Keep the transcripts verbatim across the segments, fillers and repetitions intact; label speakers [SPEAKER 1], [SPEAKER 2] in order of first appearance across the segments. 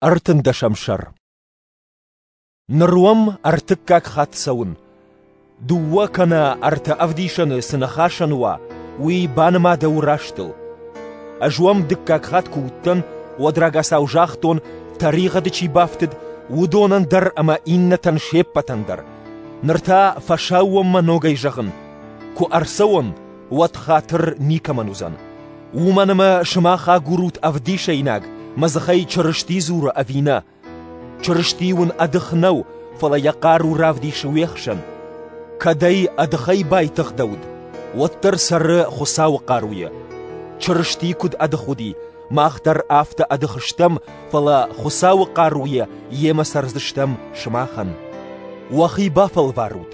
[SPEAKER 1] Ӕртындӕсӕм сӕр. Ныр уӕм ӕртыккаг хатт цӕуын. Дыууӕ кӕнӕ ӕртӕ ӕвдисӕны цы ныхасӕн уа, уый банымадӕуы растыл. Ӕз уӕм дыккаг хатт куы уыдтӕн, уӕд рагацау загътон, тӕригъӕды чи бафтыд, уыдонӕн дӕр ӕмӕ иннӕтӕн се ппӕтӕн дӕр. Ныр та фӕсаууонмӕ ногӕй зӕгъын: куы ӕрцӕуон, уӕд хатыр никӕмӕн уыдзӕн. Уымӕн ӕмӕ сымах агурут ӕвдисӕйнаг, мӕ дзыхӕй Чырысти дзуры ӕви нӕ. Чырысти уын ӕдых нӕу, фӕлӕ йӕ хъару равдисы уе хсӕн. Кӕд ӕй ӕдыхӕй байтыгъдӕуыд, уӕддӕр цӕры Хуыцауы хъаруйӕ. Чырысти куыд ӕдых уыди, мах дӕр афтӕ ӕдых стӕм, фӕлӕ Хуыцауы хъаруйӕ йемӕ цӕрдзыстӕм сымахӕн. Уӕхи бафӕлварут,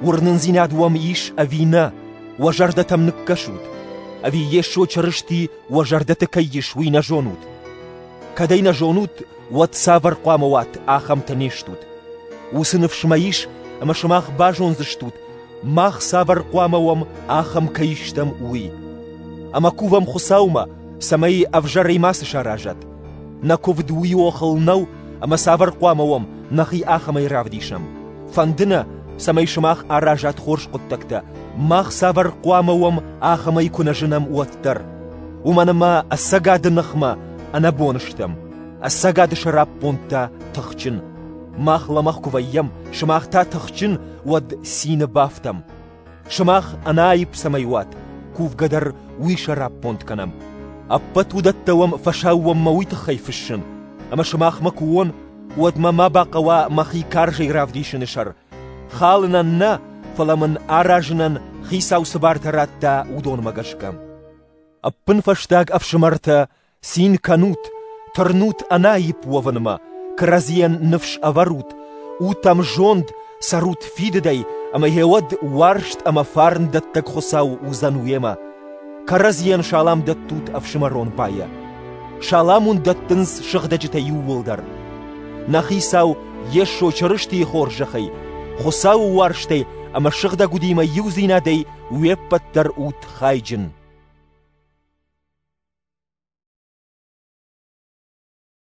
[SPEAKER 1] уырнындзинад уӕм ис ӕви нӕ, уӕ зӕрдӕтӕм ныккӕсут. Ӕви Йесо Чырысти уӕ зӕрдӕты кӕй ис, уый нӕ зонут? Кӕд ӕй нӕ зонут, уӕд цавӕр хъуамӕ уат, ахӕмтӕ не стут. Уыцы ныфс мӕ ис, ӕмӕ сымах базондзыстут, мах цавӕр хъуамӕ уӕм, ахӕм кӕй стӕм, уый. Ӕмӕ кувӕм Хуыцаумӕ, цӕмӕй ӕвзӕрӕй мацы саразат. Нӕ куывд уый охыл нӕу, ӕмӕ цавӕр хъуамӕ уӕм, нӕхи ахӕмӕй равдисӕм. Фӕнды нӕ, цӕмӕй сымах аразат хорз хъуыддӕгтӕ, мах цавӕр хъуамӕ уӕм, ахӕмӕй куы нӕ зынӕм, уӕддӕр. Уымӕн ӕмӕ ӕцӕгады ныхмӕ ӕнӕбон стӕм, ӕцӕгады сӕраппонд та тыхджын. Мах лӕмӕгъ куы вӕййӕм, сымах та тыхджын, уӕд цины бафтӕм. Сымах ӕнӕаипп цӕмӕй уат, кувгӕ дӕр уый сӕраппонд кӕнӕм. Ӕппӕт уыдӕттӕ уӕм фӕсаууонмӕ уый тыххӕй фыссын, ӕмӕ сымахмӕ куы уон, уӕд мӕ ма бахъӕуа мӕхи карзӕй равдисыны сӕр. Халынӕн нӕ, фӕлӕ мын аразынӕн Хицау цы бартӕ радта, уыдонмӕ гӕсгӕ. Ӕппынфӕстаг, ӕфсымӕртӕ, цин кӕнут, тырнут ӕнӕаипп уӕвынмӕ, кӕрӕдзийӕн ныфс ӕвӕрут, ут ӕмзонд, цӕрут фидыдӕй, ӕмӕ йӕ уӕд уарзт ӕмӕ фарн дӕттӕг Хуыцау уыдзӕн уемӕ. Кӕрӕдзийӕн салам дӕттут ӕфсымӕрон байӕ. Салам уын дӕттынц сыгъдӕджытӕ иууылдӕр. Нӕ Хицау Йесо Чырыстийы хорзӕхӕй, Хуыцауы уарзтӕй ӕмӕ сыгъдӕг удимӕ иудзинадӕй уе ппӕт дӕр ут хайджын.